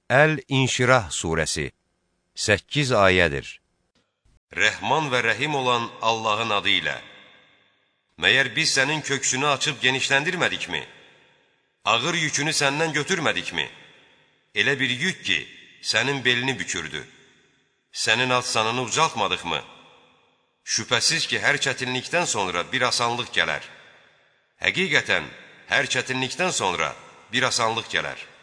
Əl-İnşirah surəsi 8 ayədir. Rəhman və rəhim olan Allahın adı ilə. Məyər biz sənin köksünü açıb genişləndirmədikmi? Ağır yükünü səndən götürmədikmi? Elə bir yük ki, sənin belini bükürdü. Sənin ad-sanını ucaltmadıqmı? Şübhəsiz ki, hər çətinlikdən sonra bir asanlıq gələr. Həqiqətən, hər çətinlikdən sonra bir asanlıq gələr.